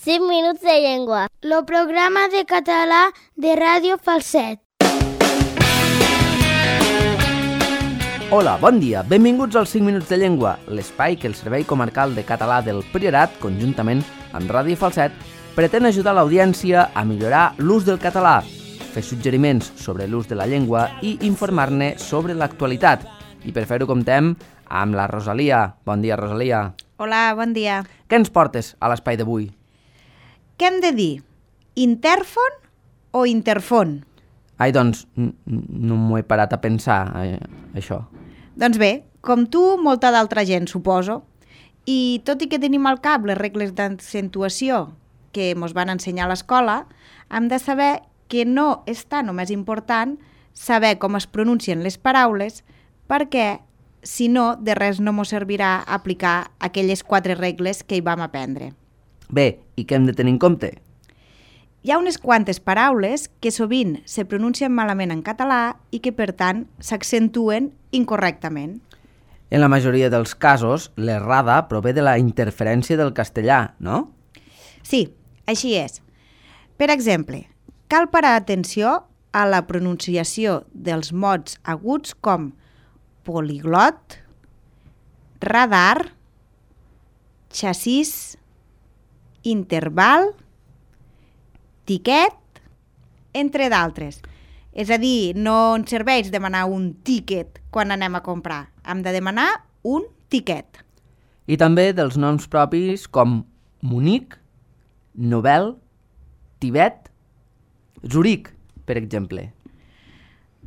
5 minuts de llengua. El programa de català de Ràdio Falset. Hola, bon dia. Benvinguts als 5 minuts de llengua, l'espai que el Servei Comarcal de Català del Priorat, conjuntament amb Ràdio Falset, pretén ajudar l'audiència a millorar l'ús del català, fer suggeriments sobre l'ús de la llengua i informar-ne sobre l'actualitat. I per fer-ho comptem amb la Rosalia. Bon dia, Rosalia. Hola, bon dia. Què ens portes a l'espai d'avui? Què hem de dir? Interfon o interfon? Ai, doncs, no m'ho he parat a pensar, això. Doncs bé, com tu, molta d'altra gent, suposo. I tot i que tenim al cap les regles d'accentuació que ens van ensenyar a l'escola, hem de saber que no és tan o més important saber com es pronuncien les paraules, perquè, si no, de res no ens servirà aplicar aquelles 4 regles que hi vam aprendre. Bé, i què hem de tenir en compte? Hi ha unes quantes paraules que sovint se pronuncien malament en català i que, per tant, s'accentuen incorrectament. En la majoria dels casos, l'errada prové de la interferència del castellà, no? Sí, així és. Per exemple, cal parar atenció a la pronunciació dels mots aguts com poliglot, radar, xassís, interval, tiquet, entre d'altres. És a dir, no ens serveix demanar un tiquet quan anem a comprar. Hem de demanar un tiquet. I també dels noms propis com Munic, Nobel, Tibet, Zuric, per exemple.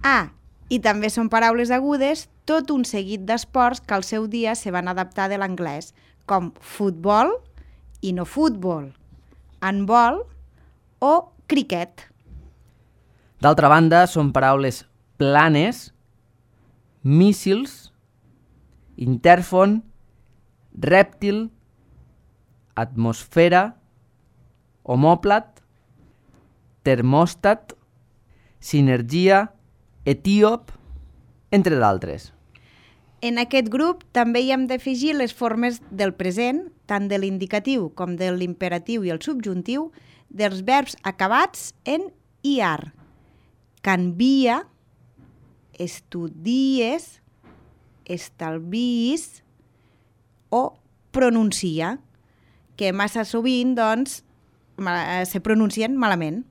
Ah, i també són paraules agudes tot un seguit d'esports que al seu dia se van adaptar de l'anglès, com futbol i no futbol, handbol o criquet. D'altra banda, són paraules planes, míssils, interfon, rèptil, atmosfera, homòplat, termòstat, sinergia, etíop, entre d'altres. En aquest grup també hi hem d'afegir les formes del present, tant de l'indicatiu com de l'imperatiu i el subjuntiu, dels verbs acabats en iar. Canvia, estudies, estalvies o pronuncia, que massa sovint doncs, se pronuncien malament.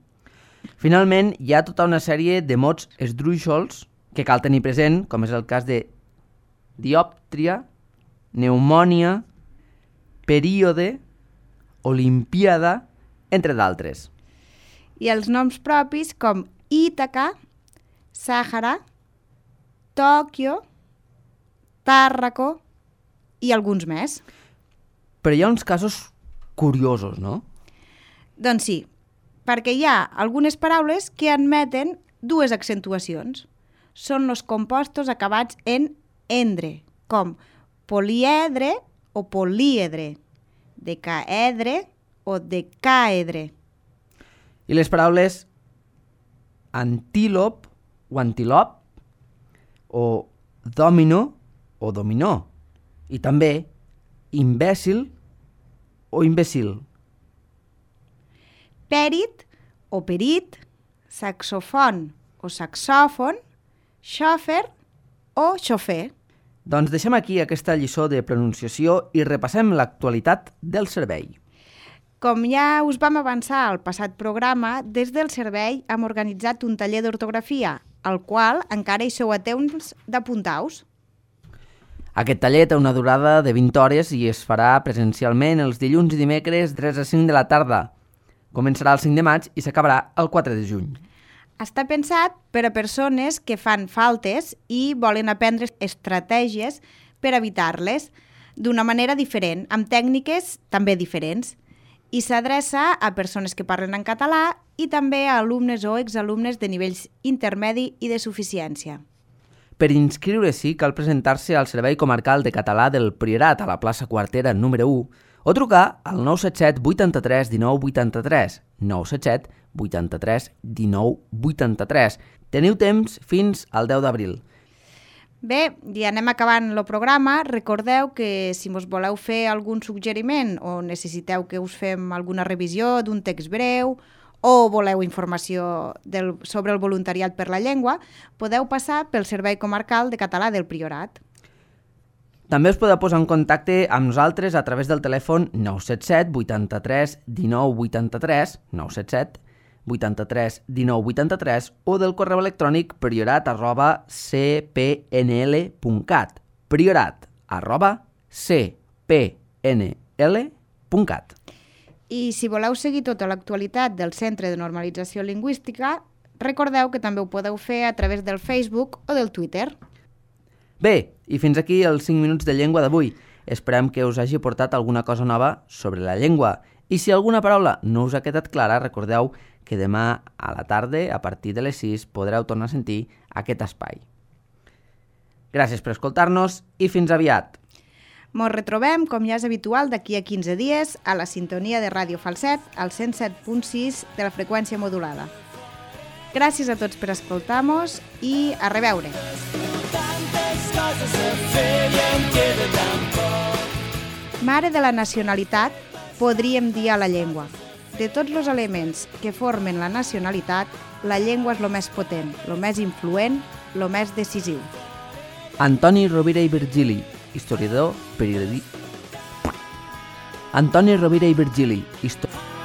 Finalment, hi ha tota una sèrie de mots esdrúixols que cal tenir present, com és el cas de diòptria, pneumònia, període, olimpiada, entre d'altres. I els noms propis com Ítaca, Sàhara, Tòquio, Tàrraco i alguns més. Però hi ha uns casos curiosos, no? Doncs sí, perquè hi ha algunes paraules que admeten 2 accentuacions. Són els compostos acabats en endre, com poliedre o políedre, decaedre o decaedre. I les paraules antílop o antilop o domino o dominó. I també imbècil o imbècil. Pèrit o perit, saxofon o saxòfon, xòfer o xofer. Doncs deixem aquí aquesta lliçó de pronunciació i repassem l'actualitat del servei. Com ja us vam avançar al passat programa, des del servei hem organitzat un taller d'ortografia, al qual encara hi sou a temps d'apuntar-vos. Aquest taller té una durada de 20 hores i es farà presencialment els dilluns i dimecres de 3 a 5 de la tarda. Començarà el 5 de maig i s'acabarà el 4 de juny. Està pensat per a persones que fan faltes i volen aprendre estratègies per evitar-les d'una manera diferent, amb tècniques també diferents. I s'adreça a persones que parlen en català i també a alumnes o exalumnes de nivells intermedi i de suficiència. Per inscriure-s'hi cal presentar-se al Servei Comarcal de Català del Priorat a la plaça Quartera número 1 o trucar al 977 83 19 83, 977 83 19 83. Teniu temps fins al 10 d'abril. Bé, ja anem acabant el programa. Recordeu que si us voleu fer algun suggeriment o necessiteu que us fem alguna revisió d'un text breu o voleu informació sobre el voluntariat per la llengua, podeu passar pel Servei Comarcal de Català del Priorat. També us podeu posar en contacte amb nosaltres a través del telèfon 977 83 19 83, 977 83 19 83 o del correu electrònic priorat@cpnl.cat, priorat@cpnl.cat. I si voleu seguir tota l'actualitat del Centre de Normalització Lingüística, recordeu que també ho podeu fer a través del Facebook o del Twitter. Bé, i fins aquí els 5 minuts de llengua d'avui. Esperem que us hagi portat alguna cosa nova sobre la llengua. I si alguna paraula no us ha quedat clara, recordeu que demà a la tarda, a partir de les 6, podreu tornar a sentir aquest espai. Gràcies per escoltar-nos i fins aviat. Ens retrobem, com ja és habitual, d'aquí a 15 dies a la sintonia de Ràdio Falset, al 107.6 de la freqüència modulada. Gràcies a tots per escoltar-nos i a reveure. Mare de la nacionalitat, podríem dir a la llengua. De tots els elements que formen la nacionalitat, la llengua és el més potent, el més influent, el més decisiu. Antoni Rovira i Virgili, historiador, periodista... Antoni Rovira i Virgili, historiador...